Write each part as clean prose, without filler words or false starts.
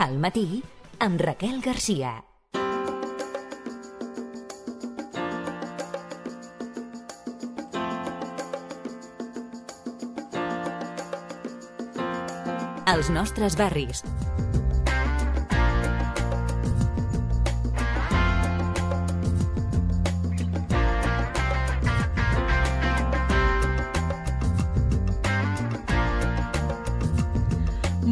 Al matí, amb Raquel Garcia. Els nostres barris.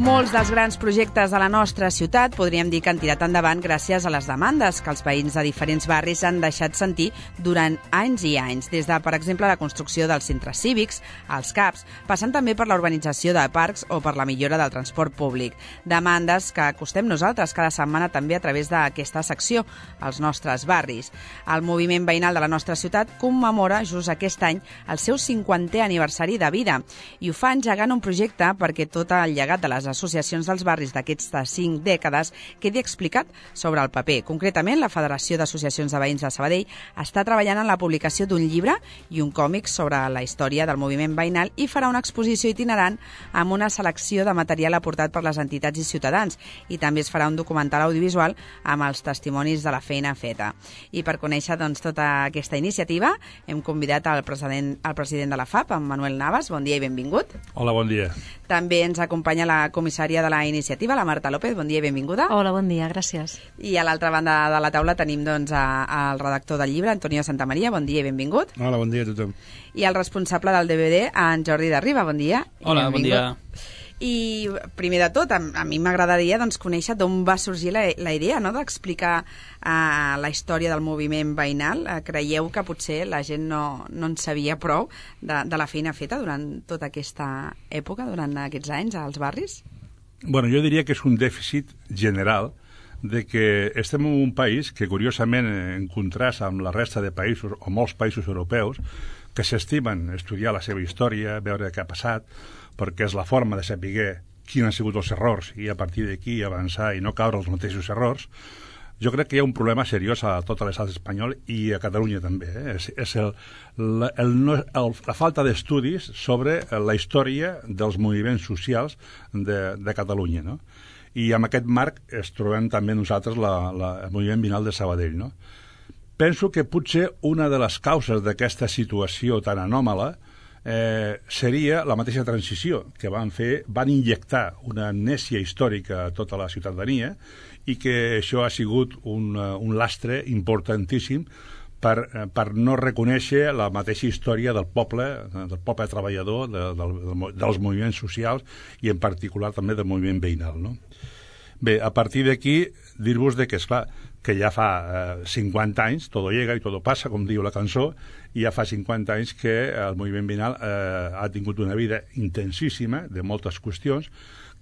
Molts dels grans projectes de la nostra ciutat podríem dir que han tirat endavant gràcies a les demandes que els veïns de diferents barris han deixat sentir durant anys i anys, des de, per exemple, la construcció dels centres cívics, els CAPs, passant també per la urbanització de parcs o per la millora del transport públic. Demandes que acostem nosaltres cada setmana també a través d'aquesta secció, els nostres barris. El moviment veïnal de la nostra ciutat commemora just aquest any el seu 50è aniversari de vida i ho fa engegant un projecte perquè tot el llegat de les associacions dels barris d'aquestes 5 dècades quedi explicat sobre el paper. Concretament, la Federació d'Associacions de Veïns de Sabadell està treballant en la publicació d'un llibre i un còmic sobre la història del moviment veïnal i farà una exposició itinerant amb una selecció de material aportat per les entitats i ciutadans, i també es farà un documental audiovisual amb els testimonis de la feina feta. I per conèixer tota aquesta iniciativa hem convidat el president de la FAP, en Manuel Navas. Bon dia i benvingut. Hola, bon dia. També ens acompanya la comissària de la iniciativa, la Marta López. Bon dia i benvinguda. Hola, bon dia, gràcies. I a l'altra banda de la taula tenim el redactor del llibre, Antonio Santamaria. Bon dia i benvingut. Hola, bon dia a tothom. I el responsable del DVD, en Jordi de Riba. Bon dia. Hola, bon dia. I primer de tot, a mi m'agradaria conèixer d'on va sorgir la idea d'explicar la història del moviment veïnal. Creieu que potser la gent no en sabia prou de la feina feta durant tota aquesta època, durant aquests anys als barris? Bueno, jo diria que és un dèficit general de que estem en un país que, curiosament, en contrast amb la resta de països, o molts països europeus, que s'estimen estudiar la seva història, veure què ha passat, perquè és la forma de saber quins han sigut els errors i a partir d'aquí avançar i no caure els mateixos errors. Jo crec que hi ha un problema seriós a tot l'estat espanyol i a Catalunya també. És la falta d'estudis sobre la història dels moviments socials de Catalunya, no? I amb aquest marc es trobem també nosaltres el moviment veïnal de Sabadell, no? Penso que potser una de les causes d'aquesta situació tan anòmala seria la mateixa transició que van injectar una amnèsia històrica a tota la ciutadania i que això ha sigut un lastre importantíssim per no reconèixer la mateixa història del poble treballador, dels moviments socials i en particular també del moviment veïnal, no? Bé, a partir d'aquí dir-vos que, esclar, que ja fa 50 anys, todo llega y todo pasa, com diu la cançó, i ja fa 50 anys que el moviment veïnal ha tingut una vida intensíssima de moltes qüestions.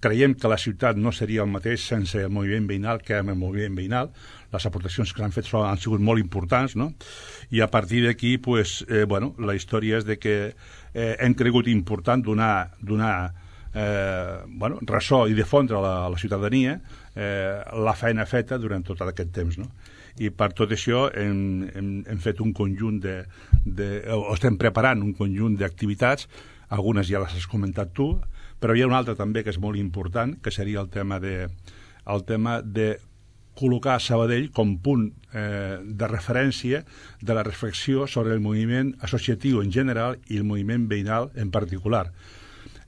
Creiem que la ciutat no seria el mateix sense el moviment veïnal que amb el moviment veïnal. Les aportacions que han fet han sigut molt importants, no? I a partir d'aquí, la història és que hem cregut important donar ressò i difondre a la ciutadania la feina feta durant tot aquest temps, no? I per tot això hem fet un conjunt estem preparant un conjunt d'activitats, algunes ja les has comentat tu, però hi ha una altra també que és molt important, que seria el tema de col·locar Sabadell com punt de referència de la reflexió sobre el moviment associatiu en general i el moviment veïnal en particular.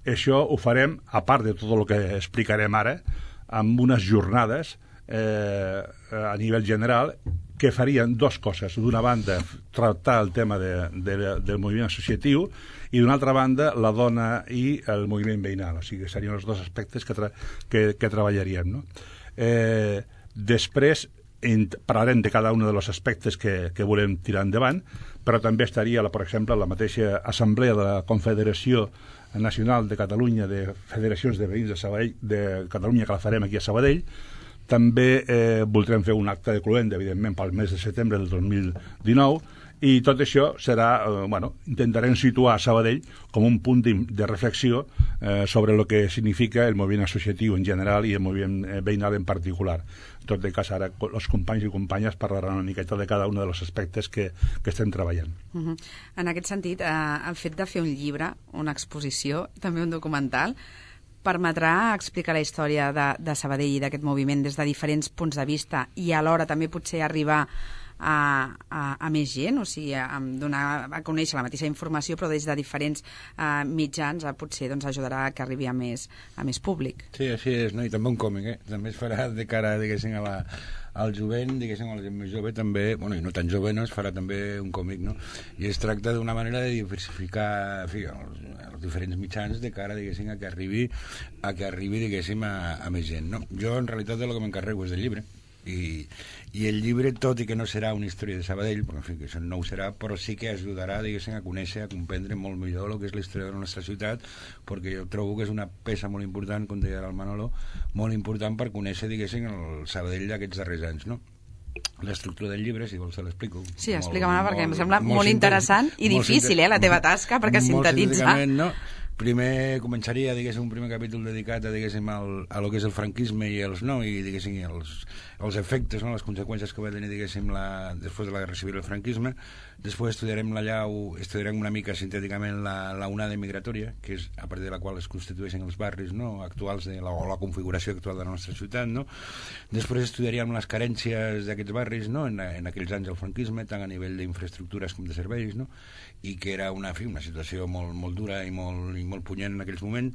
Això ho farem, a part de tot el que explicarem ara, amb unes jornades a nivell general que farien dues coses. D'una banda, tractar el tema del moviment associatiu i d'una altra banda, la dona i el moviment veïnal. O sigui, serien els dos aspectes que treballaríem, no? Després parlarem de cada un dels aspectes que volem tirar endavant, però també estaria, per exemple, la mateixa assemblea de la Confederació Nacional de Catalunya de Federacions de Veïns de Sabadell, de Catalunya, que la farem aquí a Sabadell. També voldrem fer un acte de cloenda, evidentment, pel mes de setembre del 2019, i tot això serà, intentarem situar Sabadell com un punt de reflexió sobre el que significa el moviment associatiu en general i el moviment veïnal en particular. En tot cas, ara els companys i companyes parlaran una miqueta de cada un dels aspectes que estem treballant. En aquest sentit, el fet de fer un llibre, una exposició, també un documental, permetrà explicar la història de Sabadell i d'aquest moviment des de diferents punts de vista i alhora també potser arribar a més gent, o sigui, donar a conèixer la mateixa informació però des de diferents mitjans potser ajudarà que arribi a més públic. Sí, així és, no? I també un còmic, també es farà de cara, diguéssim, al jovent, diguéssim, a la gent més jove també, bueno, i no tan jove, no? Es farà també un còmic, no? I es tracta d'una manera de diversificar, en fi, els diferents mitjans de cara, diguéssim, a que arribi, diguéssim, a més gent, no? Jo, en realitat, el que m'encarrego és del llibre, i el llibre, tot i que no serà una història de Sabadell, perquè en fi, que això no ho serà, però sí que ajudarà, diguéssim, a conèixer, a comprendre molt millor el que és la història de la nostra ciutat, perquè jo trobo que és una peça molt important, com deia el Manolo, molt important per conèixer, diguéssim, el Sabadell d'aquests darrers anys, no? L'estructura del llibre, si vols te l'explico. Sí, explica-me, perquè em sembla molt interessant i difícil, la teva tasca, perquè sintetitzar... No? Primer començaria, diguéssim, un primer capítol dedicat a, diguéssim, a lo que és el franquisme i diguéssim, els efectes, no? Les conseqüències que va tenir, diguéssim, després de la Guerra Civil el franquisme. Després estudiarem estudiarem una mica sintèticament la onada migratòria, que és a partir de la qual es constitueixen els barris, no? Actuals o la configuració actual de la nostra ciutat, no? Després estudiaríem les carències d'aquests barris, no? En aquells anys del franquisme, tant a nivell d'infraestructures com de serveis, no? I que era una situació molt dura i molt punyent en aquells moments,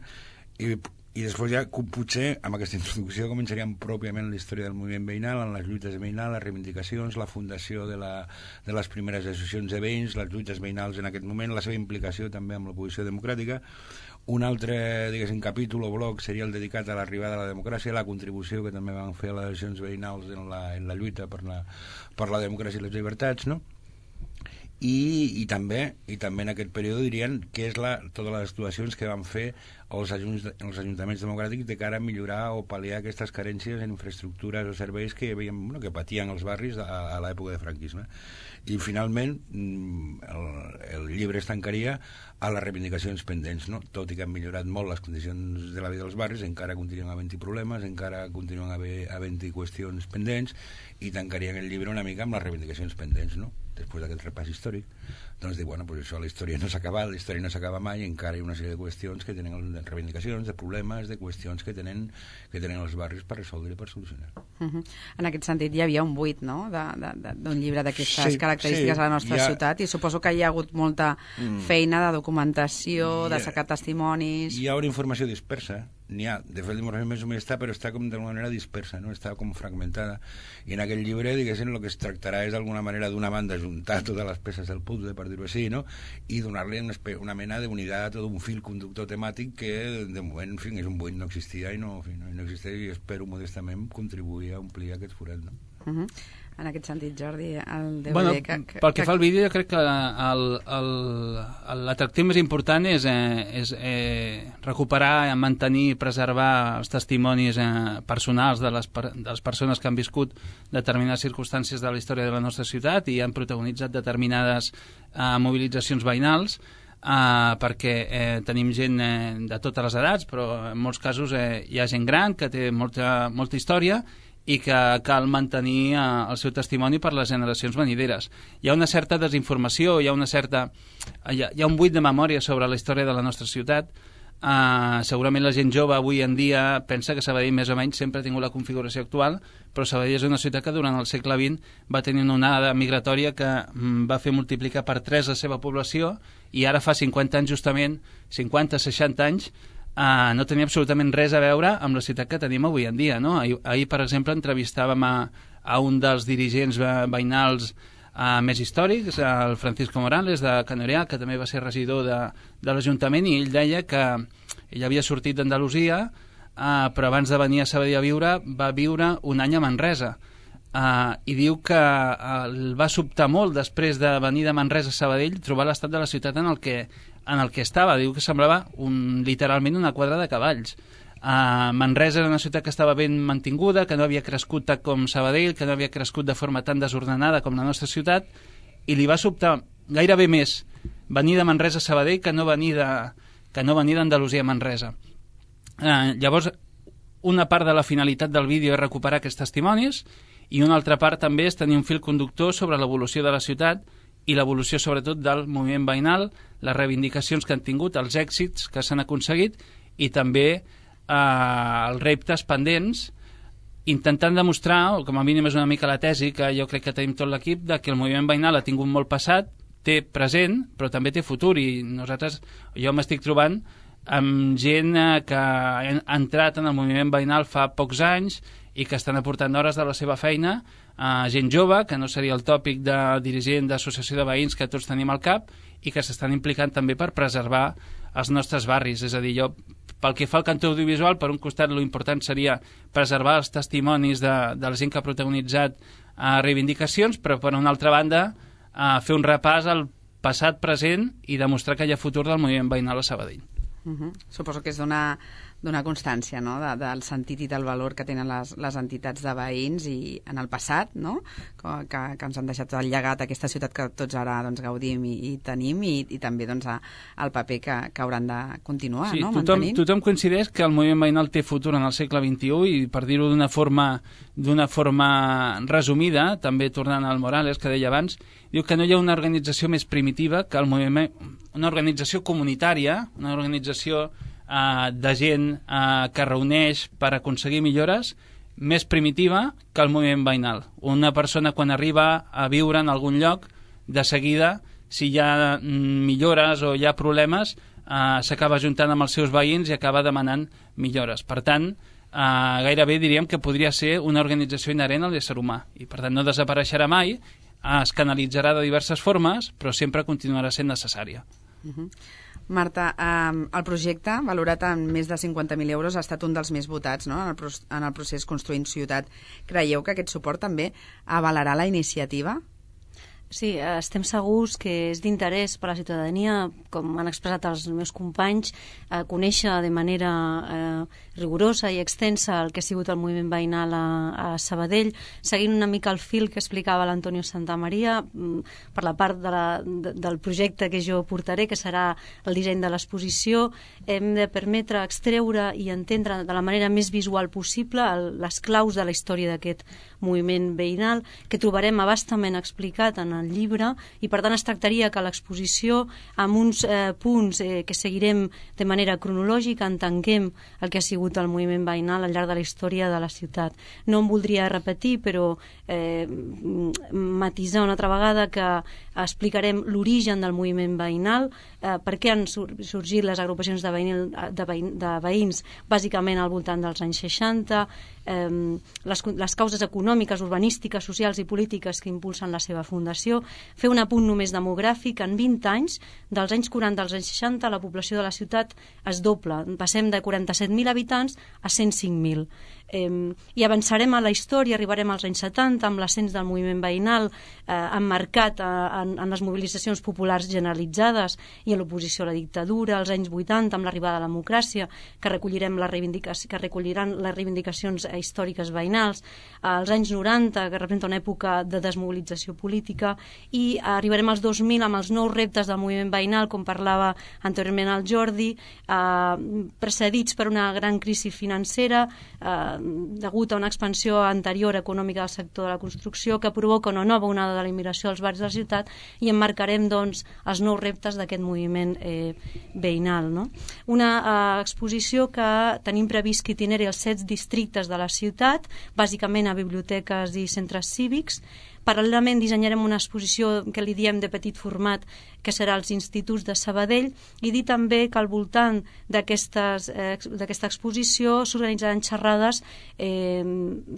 i després ja potser amb aquesta introducció començaríem pròpiament la història del moviment veïnal, en les lluites veïnals, les reivindicacions, la fundació de les primeres associacions de veïns, les lluites veïnals en aquest moment, la seva implicació també amb l'oposició democràtica. Un altre, diguéssim, capítol o bloc seria el dedicat a l'arribada de la democràcia, la contribució que també van fer les associacions veïnals en la lluita per la democràcia i les llibertats, no? I també en aquest període dirien que és totes les actuacions que van fer els ajuntaments democràtics de cara a millorar o pal·liar aquestes carències en infraestructures o serveis que que patien els barris a l'època de franquisme. I finalment el llibre es tancaria a les reivindicacions pendents, no? Tot i que han millorat molt les condicions de la vida dels barris, encara continuen havent-hi problemes, encara continuen havent-hi qüestions pendents, i tancarien el llibre una mica amb les reivindicacions pendents, no? Després d'aquest repàs històric, doncs dir, bueno, pues això, la història no s'ha acabat, la història no s'acaba mai, encara hi ha una sèrie de qüestions que tenen reivindicacions, de problemes, de qüestions que tenen els barris per resoldre i per solucionar. En aquest sentit hi havia un buit, no?, d'un llibre d'aquestes característiques a la nostra ciutat, i suposo que hi ha hagut molta feina de documentació, de sacar testimonis... Hi ha una informació dispersa, n'hi ha, de fet l'informació més o menys està, però està com d'alguna manera dispersa, no? Està com fragmentada, i en aquell llibre, diguéssim, el que es tractarà és d'alguna manera d'una banda juntar totes les peces del puzzle, per dir-ho així, no? I donar-li una mena d'unitat o d'un fil conductor temàtic que de moment, en fi, és un buit, no existia i no existeix, i espero modestament contribuir a omplir aquest forat, no? En aquest sentit, Jordi, el DVD... Pel que fa al vídeo, jo crec que l'atractiu més important és recuperar, mantenir i preservar els testimonis personals de les persones que han viscut determinades circumstàncies de la història de la nostra ciutat i han protagonitzat determinades mobilitzacions veïnals, perquè tenim gent de totes les edats, però en molts casos hi ha gent gran que té molta història i que cal mantenir el seu testimoni per les generacions venideres. Hi ha una certa desinformació, hi ha un buit de memòria sobre la història de la nostra ciutat. Segurament la gent jove avui en dia pensa que Sabadell més o menys sempre ha tingut la configuració actual, però Sabadell és una ciutat que durant el segle XX va tenir una onada migratòria que va fer multiplicar per 3 la seva població, i ara fa 50 anys justament, 50-60 anys, no tenia absolutament res a veure amb la ciutat que tenim avui en dia, no? Ahir, per exemple, entrevistàvem a un dels dirigents veïnals més històrics, el Francisco Morales, de Canorià, que també va ser regidor de l'Ajuntament, i ell deia que ell havia sortit d'Andalusia, però abans de venir a Sabadell a viure, va viure un any a Manresa. I diu que el va sobtar molt, després de venir de Manresa a Sabadell, trobar l'estat de la ciutat en el que estava. Diu que semblava literalment una quadra de cavalls. Manresa era una ciutat que estava ben mantinguda, que no havia crescut tant com Sabadell, que no havia crescut de forma tan desordenada com la nostra ciutat, i li va sobtar gairebé més venir de Manresa a Sabadell que no venir d'Andalusia a Manresa. Llavors, una part de la finalitat del vídeo és recuperar aquests testimonis, i una altra part també és tenir un fil conductor sobre l'evolució de la ciutat i l'evolució sobretot del moviment veïnal, les reivindicacions que han tingut, els èxits que s'han aconseguit, i també els reptes pendents, intentant demostrar, o com a mínim és una mica la tesi que jo crec que tenim tot l'equip, de que el moviment veïnal ha tingut molt passat, té present, però també té futur, i jo m'estic trobant amb gent que ha entrat en el moviment veïnal fa pocs anys i que estan aportant hores de la seva feina, gent jove, que no seria el tòpic de dirigent d'associació de veïns que tots tenim al cap, i que s'estan implicant també per preservar els nostres barris. És a dir, jo, pel que fa al cantó audiovisual, per un costat l'important seria preservar els testimonis de la gent que ha protagonitzat reivindicacions, però per una altra banda fer un repàs al passat, present i demostrar que hi ha futur del moviment veïnal a Sabadell. Suposo que és donar constància, no?, del sentit i del valor que tenen les entitats de veïns i en el passat, no?, que ens han deixat el llegat a aquesta ciutat que tots ara gaudim i tenim, i també el paper que hauran de continuar, sí, no?, mantenint. Tothom coincideix que el moviment veïnal té futur en el segle XXI, i per dir-ho d'una forma resumida, també tornant al Morales, que deia abans, diu que no hi ha una organització més primitiva que el moviment, una organització comunitària, una organització de gent que reuneix per aconseguir millores, més primitiva que el moviment veïnal. Una persona, quan arriba a viure en algun lloc, de seguida, si hi ha millores o hi ha problemes, s'acaba ajuntant amb els seus veïns i acaba demanant millores. Per tant, gairebé diríem que podria ser una organització inherent a l'ésser humà, i per tant no desapareixerà mai, es canalitzarà de diverses formes, però sempre continuarà sent necessària. Marta, el projecte, valorat en més de 50.000 euros, ha estat un dels més votats, no?, en el procés Construint Ciutat. Creieu que aquest suport també avalarà la iniciativa? Sí, estem segurs que és d'interès per a la ciutadania, com han expressat els meus companys, conèixer de manera rigorosa i extensa el que ha sigut el moviment veïnal a Sabadell, seguint una mica el fil que explicava l'Antonio Santamaria, per la part del projecte que jo portaré, que serà el disseny de l'exposició. Hem de permetre extreure i entendre de la manera més visual possible les claus de la història d'aquest moviment veïnal, que trobarem abastament explicat en el llibre, i per tant es tractaria que l'exposició, amb uns punts que seguirem de manera cronològica, entenguem el que ha sigut el moviment veïnal al llarg de la història de la ciutat. No em voldria repetir, però matisar una altra vegada que explicarem l'origen del moviment veïnal, per què han sorgit les agrupacions de veïns bàsicament al voltant dels anys 60, les causes econòmiques, urbanístiques, socials i polítiques que impulsen la seva fundació. Fer un apunt només demogràfic: en 20 anys, dels anys 40 als anys 60, la població de la ciutat es dobla. Passem de 47.000 habitants a 105.000. I avançarem a la història, arribarem als anys 70 amb l'ascens del moviment veïnal emmarcat en les mobilitzacions populars generalitzades i en l'oposició a la dictadura, als anys 80 amb l'arribada de la democràcia, que recolliran les reivindicacions històriques veïnals, als anys 90, que representa una època de desmobilització política, i arribarem als 2000 amb els nous reptes del moviment veïnal, com parlava anteriorment el Jordi, precedits per una gran crisi financera degut a una expansió anterior econòmica del sector de la construcció, que provoca una nova onada de la immigració als barris de la ciutat, i emmarcarem doncs els nous reptes d'aquest moviment veïnal, no? Una exposició que tenim previst que itineri els 7 districtes de la ciutat, bàsicament a biblioteques i centres cívics. Paral·lelament dissenyarem una exposició que li diem de petit format, que serà als instituts de Sabadell, i dir també que al voltant d'aquesta exposició s'organitzaran xerrades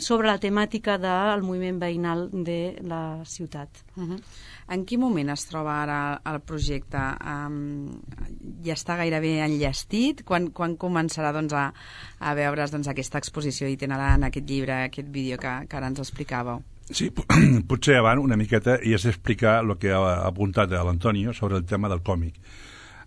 sobre la temàtica del moviment veïnal de la ciutat. En quin moment es troba ara el projecte? Ja està gairebé enllestit? Quan començarà a veure's aquesta exposició itinerant, aquest llibre, aquest vídeo que ara ens explicàveu? Sí, potser abans una miqueta i és explicar el que ha apuntat l'Antonio sobre el tema del còmic.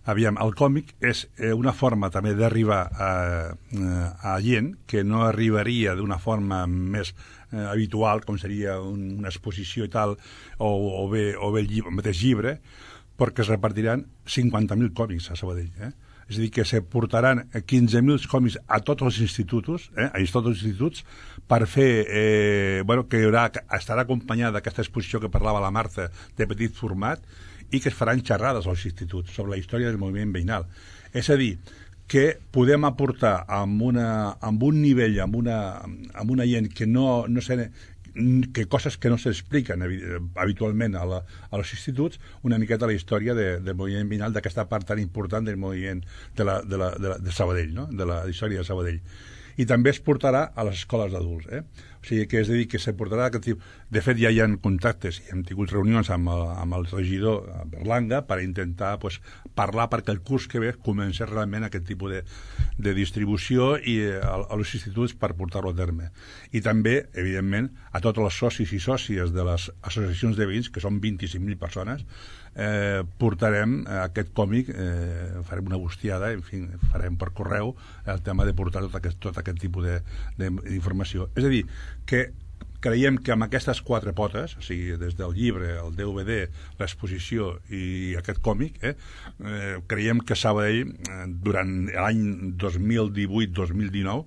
Aviam, el còmic és una forma també d'arribar a gent que no arribaria d'una forma més habitual, com seria una exposició i tal, o bé el mateix llibre, perquè es repartiran 50.000 còmics a Sabadell, És a dir, que se portaran 15.000 còmics a tots els instituts, per fer, que estarà acompanyada d'aquesta exposició que parlava la Marta, de petit format, i que es faran xerrades als instituts sobre la història del moviment veïnal. És a dir, que podem aportar amb un nivell, amb una gent que no sé, que coses que no s'expliquen habitualment als instituts, una miqueta la història del moviment veïnal, d'aquesta part tan important del moviment de Sabadell, no? De la història de Sabadell. I també es portarà a les escoles d'adults, O sigui, que és a dir, que se portarà aquest tipus... De fet, ja hi ha contactes i hem tingut reunions amb el regidor Berlanga per intentar parlar perquè el curs que ve comenci realment aquest tipus de distribució i als instituts per portar-lo a terme. I també, evidentment, a tots els socis i sòcies de les associacions de veïns, que són 25.000 persones, portarem aquest còmic, farem una bustiada, en fi, farem per correu el tema de portar tot aquest tipus d'informació. És a dir, que creiem que amb aquestes 4 potes, o sigui, des del llibre, el DVD, l'exposició i aquest còmic, creiem que Sabadell, durant l'any 2018-2019,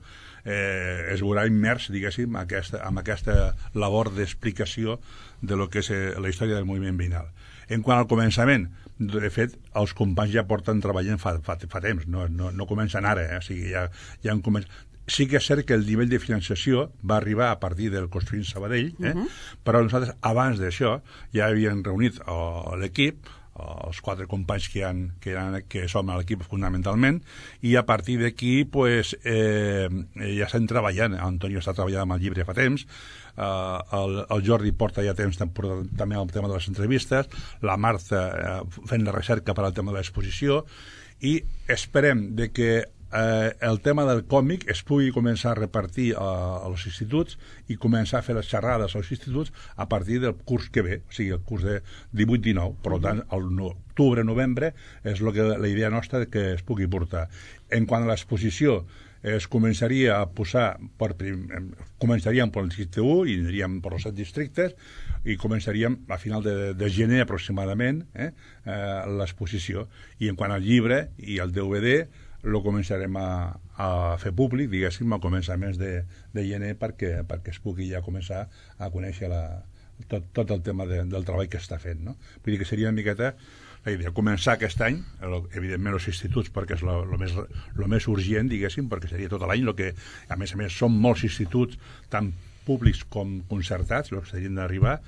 es veurà immers, diguéssim, amb aquesta labor d'explicació de lo que és la història del moviment veïnal. En quant al començament, de fet, els companys ja porten treballant fa temps, no comencen ara, o sigui, ja han començat. Sí que és cert que el nivell de financiació va arribar a partir del Construint Sabadell, però nosaltres, abans d'això, ja havíem reunit l'equip, els 4 companys que som a l'equip fonamentalment, i a partir d'aquí ja estem treballant. Antonio està treballant amb el llibre fa temps, el Jordi porta ja temps també el tema de les entrevistes, la Marta fent la recerca per al tema de l'exposició, i esperem de que el tema del còmic es pugui començar a repartir als instituts i començar a fer les xerrades als instituts a partir del curs que ve, o sigui, el curs de 18-19. Per tant, l'octubre-novembre és la idea nostra que es pugui portar. En quant a l'exposició, es començaria a posar començaríem per l'Institut 1 i aniríem per els 7 districtes i començaríem a final de gener aproximadament l'exposició. I en quant al llibre i al DVD, lo començarem a fer públic, diguéssim, a començaments de gener perquè es pugui ja començar a conèixer tot el tema del treball que està fent, no? Vull dir que seria una miqueta la idea, començar aquest any, evidentment els instituts, perquè és el més urgent, diguéssim, perquè seria tot l'any, que a més són molts instituts, tant públics com concertats, els que serien d'arribar,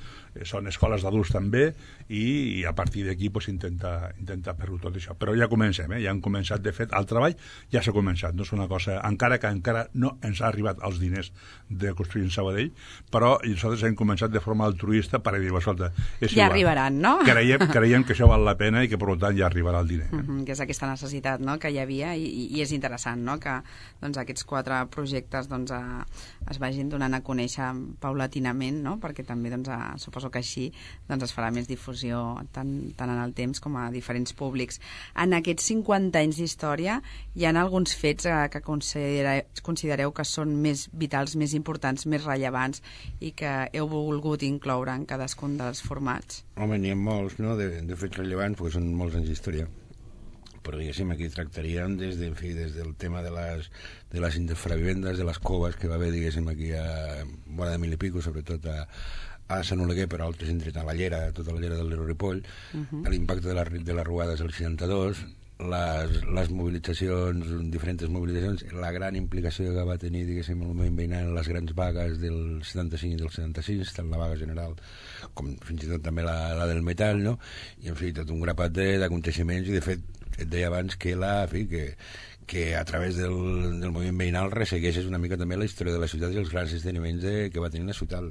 són escoles d'adults també, i a partir d'aquí intentar fer-ho tot això. Però ja comencem, ja han començat, de fet, el treball ja s'ha començat, no és una cosa, encara no ens ha arribat els diners de Construint Sabadell, però nosaltres hem començat de forma altruista per dir, escolta, ja arribaran, no? Creiem que això val la pena i que per tant ja arribarà el diner. Que és aquesta necessitat, no?, que hi havia, i és interessant, no?, que aquests 4 projectes es vagin donant a conèixer paulatinament, no?, perquè també suposo que així es farà més difusió tant en el temps com a diferents públics. En aquests 50 anys d'història hi ha alguns fets que considereu que són més vitals, més importants, més rellevants i que heu volgut incloure en cadascun dels formats? Home, n'hi ha molts, no?, de fets rellevants, perquè són molts anys d'història. Però diguéssim, aquí tractaríem des del tema de les infravivendes, de les coves que va haver, diguéssim, aquí a vora de 1000 i pico, sobretot a Sant Oleguer, però altres indrets, a la Llera, tota la Llera del Ripoll, l'impacte de les ruades del 62, les mobilitzacions, diferents mobilitzacions, la gran implicació que va tenir, diguéssim, el moviment veïnal en les grans vagues del 75 i del 76, tant la vaga general com fins i tot també la del metall, no? I, en fi, tot un grapat d'aconteixements, i de fet et deia abans que a través del moviment veïnal ressegueixes una mica també la història de la ciutat i els grans esdeveniments que va tenir la ciutat,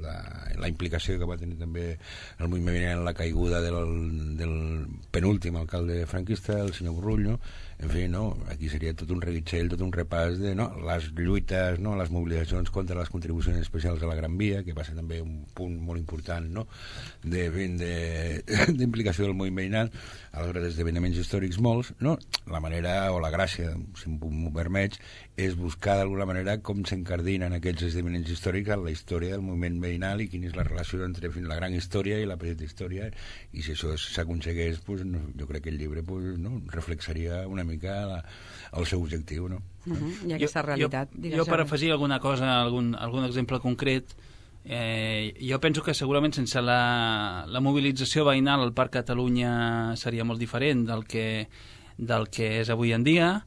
la implicació que va tenir també el moviment veïnal en la caiguda del penúltim alcalde franquista, el senyor Burrull, no? En fi, no? Aquí seria tot un reguitzell, tot un repàs de les lluites, no? Les mobilitzacions contra les contribucions especials a la Gran Via, que va ser també un punt molt important, no?, d'implicació del moviment veïnal a l'hora d'esdeveniments històrics molts, no? La manera o la gràcia, si m'ho permets, és buscar d'alguna manera com s'encardinen aquests esdeveniments històrics en la història del moviment veïnal i quina és la relació entre la gran història i la petita història, i si això s'aconsegueix, jo crec que el llibre reflexaria una mica el seu objectiu, no? I aquesta realitat. Jo per afegir alguna cosa, algun exemple concret, jo penso que segurament sense la mobilització veïnal el Parc Catalunya seria molt diferent del que és avui en dia.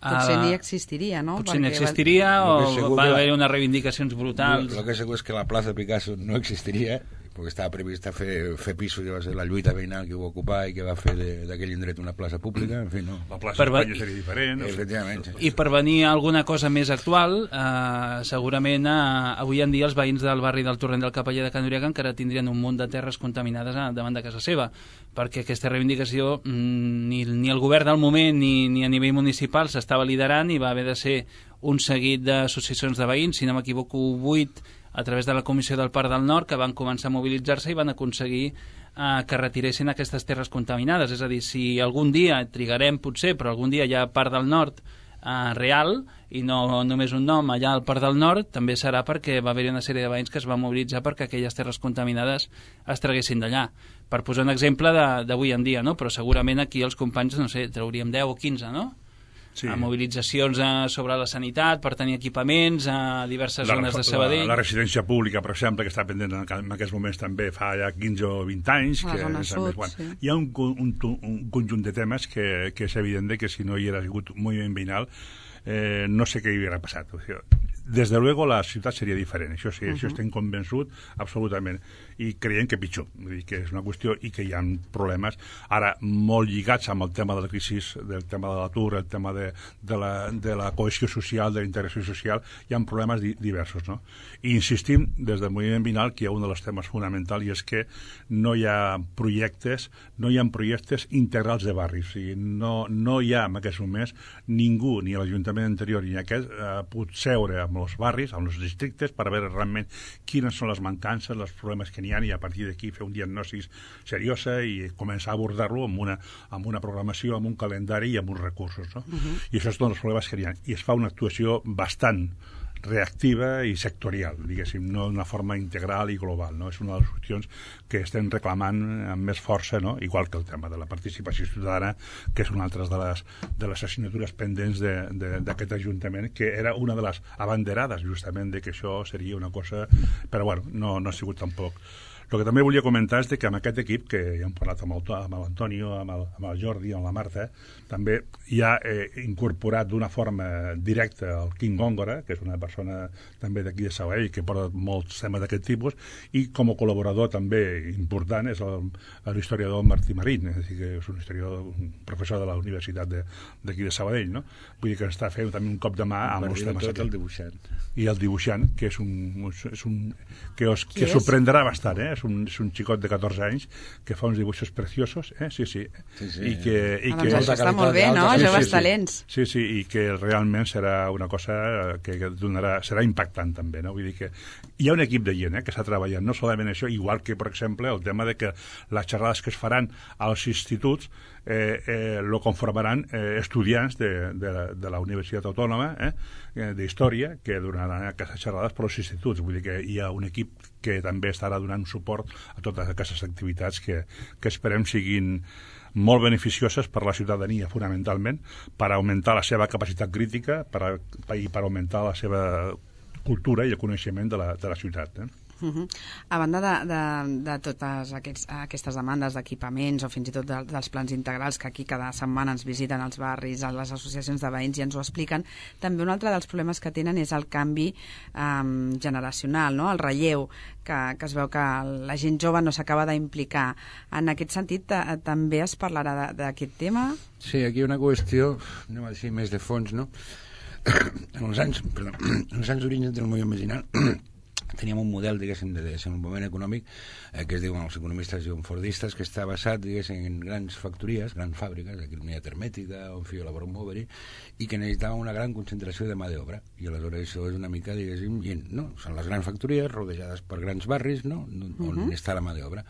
Potser ni existiria, no? Potser ni existiria o va haver unes reivindicacions brutals. El que segur és que la plaça Picasso no existiria, perquè estava previst fer pisos, que va ser la lluita veïnal que ho va ocupar i que va fer d'aquell indret una plaça pública, en fi, no. La plaça Espanya seria diferent. Efectivament. I per venir a alguna cosa més actual, segurament avui en dia els veïns del barri del Torrent del Capeller de Can Uriaga encara tindrien un munt de terres contaminades davant de casa seva, perquè aquesta reivindicació ni el govern del moment ni a nivell municipal s'estava liderant i va haver de ser un seguit d'associacions de veïns, si no m'equivoco 8, a través de la Comissió del Parc del Nord, que van començar a mobilitzar-se i van aconseguir que retiressin aquestes terres contaminades. És a dir, si algun dia, trigarem potser, però algun dia hi ha Parc del Nord real, i no només un nom allà al Parc del Nord, també serà perquè va haver-hi una sèrie de veïns que es van mobilitzar perquè aquelles terres contaminades es traguessin d'allà. Per posar un exemple d'avui en dia, no? Però segurament aquí els companys, no sé, trauríem 10 o 15, no? Sí. A mobilitzacions sobre la sanitat, per tenir equipaments a diverses zones de Sabadell. La residència pública, per exemple, que està pendent en aquests moments també fa ja 15 o 20 anys. La zona sud, sí. Hi ha un conjunt de temes que és evident que si no hi hagués hagut moviment veïnal no sé què hi hauria passat. O sigui, des de luego la ciutat seria diferent, això sí, això estem convençut absolutament, i creiem que pitjor, vull dir que és una qüestió i que hi ha problemes ara molt lligats amb el tema de la crisi, del tema de l'atur, el tema de la cohesió social, de la integració social, hi ha problemes diversos, no? I insistim des del moviment veïnal que hi ha un dels temes fonamentals, i és que no hi ha projectes integrals de barris, i no hi ha en aquests moments ningú, ni l'Ajuntament anterior ni aquest, pot seure amb els barris, amb els districtes, per veure realment quines són les mancances, els problemes que n'hi ha, i a partir d'aquí fer un diagnòstic seriosa i començar a abordar-lo amb una programació, amb un calendari i amb uns recursos, no? I això són els problemes que n'hi ha. I es fa una actuació bastant reactiva i sectorial, diguéssim, no d'una forma integral i global, no? És una de les qüestions que estem reclamant amb més força, no? Igual que el tema de la participació ciutadana, que és una altra de les assignatures pendents d'aquest Ajuntament, que era una de les abanderades justament de que això seria una cosa, però bueno, no ha sigut tampoc. El que també volia comentar és que amb aquest equip, que ja hem parlat amb l'Antonio, amb el Jordi, amb la Marta, també hi ha incorporat d'una forma directa el Quim Góngora, que és una persona també d'aquí de Sabadell, que porta molts temes d'aquest tipus, i com a col·laborador també important és l'historiador Martí Marín, és a dir, que és un professor de la Universitat d'aquí de Sabadell, no? Vull dir que està fent també un cop de mà amb els temes. El dibuixant. I el dibuixant, que que sorprendrà bastant, És un xicot de 14 anys que fa uns dibuixos preciosos, sí. I que doncs això està molt bé, no? Joves talents. Sí, i que realment serà una cosa que serà impactant també, no? Vull dir que hi ha un equip de gent que està treballant, no solament això, igual que, per exemple, el tema de que les xerrades que es faran als instituts lo conformaran estudiants de la Universitat Autònoma d'Història, que donaran aquestes xerrades per als instituts. Vull dir que hi ha un equip que també estarà donant suport a totes aquestes activitats que esperem siguin molt beneficioses per a la ciutadania, fonamentalment, per augmentar la seva capacitat crítica i per augmentar la seva cultura i el coneixement de la ciutat. A banda de totes aquestes demandes d'equipaments o fins i tot dels plans integrals que aquí cada setmana ens visiten els barris, a les associacions de veïns i ens ho expliquen, també un altre dels problemes que tenen és el canvi generacional, no? El relleu, que es veu que la gent jove no s'acaba d'implicar. En aquest sentit, també es parlarà d'aquest tema? Sí, aquí hi ha una qüestió, anem a dir més de fons, no? En els anys d'origen del moviment veïnal teníem un model, diguéssim, de desenvolupament econòmic que es diuen els economistes fordistes, que està basat, diguéssim, en grans factories, grans fàbriques, aquí la Unitat Hermètica, on feia la Brombovery, i que necessitava una gran concentració de mà d'obra. I aleshores això és una mica, diguéssim, no? Són les grans factories rodejades per grans barris, no? On està la mà d'obra.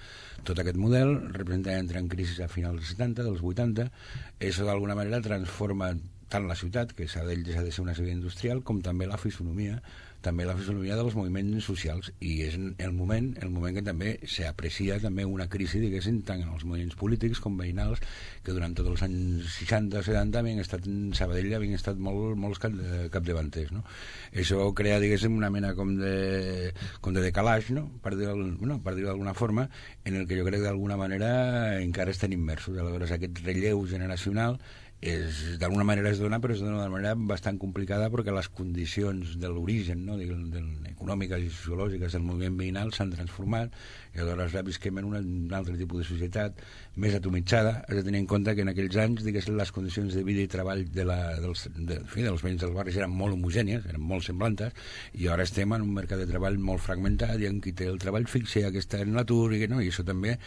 Tot aquest model representa entrar en crisi a finals dels 70, dels 80, això d'alguna manera transforma tant la ciutat, que s'ha de ser una ciutat industrial, com també la fisonomia dels moviments socials, i és el moment que també s'aprecia també una crisi, diguéssim, tant en els moviments polítics com veïnals, que durant tots els anys 60-70 havien estat en Sabadell, havien estat molts capdavanters, no? Això crea, diguéssim, una mena com de decalaix, no? Per dir-ho d'alguna forma, en el que jo crec que d'alguna manera encara estan immersos. Aleshores, aquest relleu generacional d'alguna manera es dona, però és d'una manera bastant complicada perquè les condicions de l'origen, no, econòmiques i sociològiques del moviment veïnal s'han transformat i aleshores visquem en un altre tipus de societat més atomitzada. Has de tenir en compte que en aquells anys, diguéssim, les condicions de vida i treball dels veïns dels barris eren molt homogènies, eren molt semblantes, i ara estem en un mercat de treball molt fragmentat i en qui té el treball fix i qui està en l'atur, i això també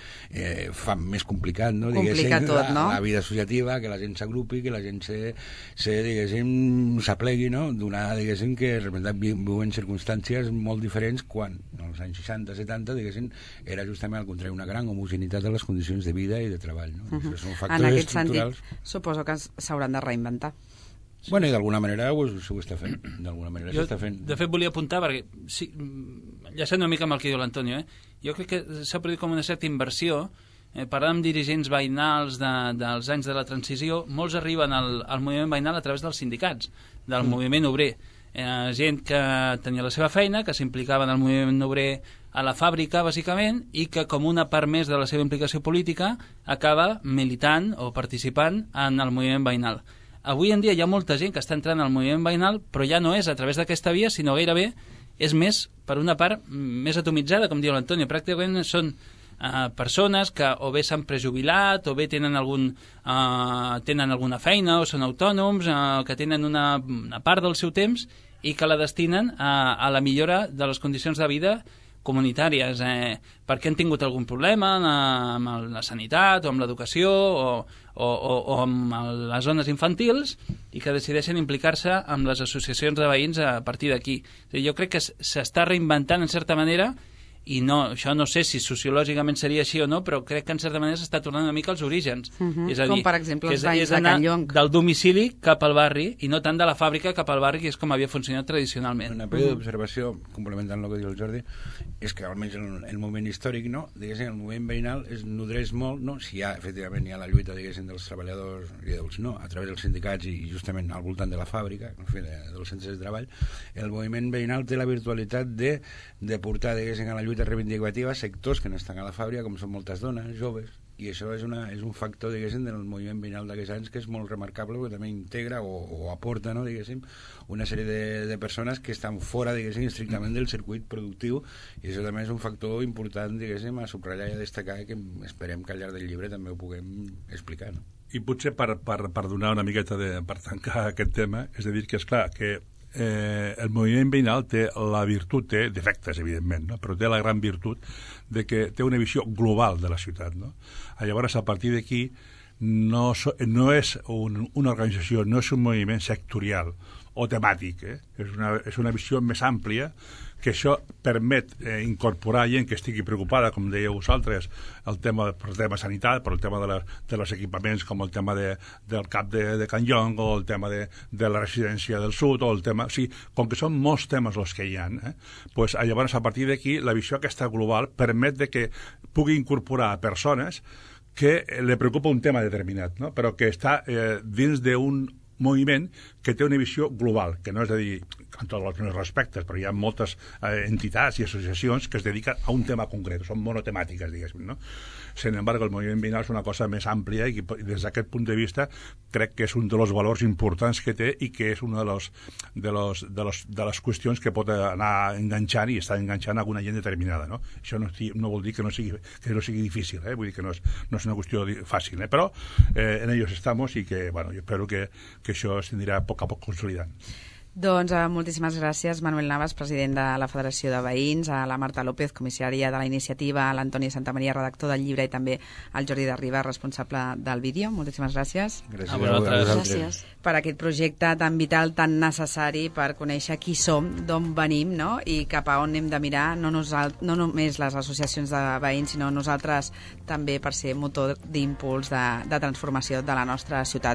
fa més complicat, no? Complica tot, no? La vida associativa, que la gent s'agrupi, que la gent s'aplegui, no? Donar, diguéssim, que viuen circumstàncies molt diferents quan, als anys 60-70, diguéssim, era justament al contrari, una gran homogeneïtat de les condicions de vida i de treball, no? Són factors en aquest estructurals. sentit, suposo que s'hauran de reinventar. Bueno, i d'alguna manera s'ho està fent. D'alguna manera s'està fent. De fet, volia apuntar, perquè sí, ja sé una mica amb el que diu l'Antonio, jo crec que s'ha produït com una certa inversió. Parlant amb dirigents veïnals dels anys de la transició, molts arriben al moviment veïnal a través dels sindicats, del moviment obrer. Gent que tenia la seva feina, que s'implicava en el moviment obrer a la fàbrica, bàsicament, i que com una part més de la seva implicació política acaba militant o participant en el moviment veïnal. Avui en dia hi ha molta gent que està entrant al moviment veïnal, però ja no és a través d'aquesta via, sinó gairebé és més per una part més atomitzada, com diu l'Antonio. Pràcticament són persones que o bé s'han prejubilat o bé tenen alguna feina o són autònoms, que tenen una part del seu temps i que la destinen a la millora de les condicions de vida comunitàries, perquè han tingut algun problema amb la sanitat o amb l'educació o amb les zones infantils i que decideixen implicar-se amb les associacions de veïns a partir d'aquí. Jo crec que s'està reinventant en certa manera i no, això no sé si sociològicament seria així o no, però crec que en certa manera s'està tornant una mica als orígens. És a dir, com per exemple els veïns de Can Llong. Del domicili cap al barri i no tant de la fàbrica cap al barri, que és com havia funcionat tradicionalment. Una període d'observació, complementant el que diu el Jordi, és que almenys en el moment històric, no, diguéssim, el moviment veïnal es nodreix molt, no, si efectivament hi ha la lluita, diguéssim, dels treballadors i dels no, a través dels sindicats i justament al voltant de la fàbrica, en fi, dels centres de treball, el moviment veïnal té la virtualitat de portar, diguéssim, a la lluita reivindicativa sectors que no estan a la fàbrica, com són moltes dones, joves, i això és un factor, diguéssim, del moviment veïnal d'aquests anys que és molt remarcable, perquè també integra o aporta, no, diguéssim, una sèrie de persones que estan fora, diguéssim, estrictament del circuit productiu, i això també és un factor important, diguéssim, a subratllar i a destacar, que esperem que al llarg del llibre també ho puguem explicar, no? I potser per donar una miqueta per tancar aquest tema, és a dir que, esclar, que el moviment veïnal té la virtut, té defectes, evidentment, no? Però té la gran virtut de que té una visió global de la ciutat, no? Llavors, a partir d'aquí, no és una organització, no és un moviment sectorial o temàtic, és una visió més àmplia, que això permet incorporar gent que estigui preocupada, com dèieu vosaltres, el tema sanitat, però el tema dels equipaments, com el tema del CAP de Can Llong, o el tema de la residència del sud, o el tema... O sigui, com que són molts temes els que hi ha, pues, llavors, a partir d'aquí, la visió aquesta global permet de que pugui incorporar persones que li preocupa un tema determinat, no? Però que està dins d'un moviment que té una visió global, que no és a dir en tots els meus respectes, però hi ha moltes entitats i associacions que es dediquen a un tema concret, són monotemàtiques, diguéssim, no? Sin embargo, el moviment veïnal és una cosa més àmplia i des d'aquest punt de vista crec que és un dels valors importants que té i que és una de les qüestions que pot anar enganxant i està enganxant alguna gent determinada, no? Això no vol dir que no sigui difícil, vull dir que no és una qüestió fàcil, però en ellos estamos i que, bueno, jo espero que això es tindrà a poc consolidant. Doncs moltíssimes gràcies, Manuel Navas, president de la Federació de Veïns, a la Marta López, comissària de la iniciativa, a l'Antoni Santamaria, redactor del llibre, i també al Jordi de Riba, responsable del vídeo. Moltíssimes gràcies. Gràcies a vosaltres. Gràcies. Per aquest projecte tan vital, tan necessari per conèixer qui som, d'on venim, no? I cap a on hem de mirar, no només les associacions de veïns, sinó nosaltres també per ser motor d'impuls de transformació de la nostra ciutat.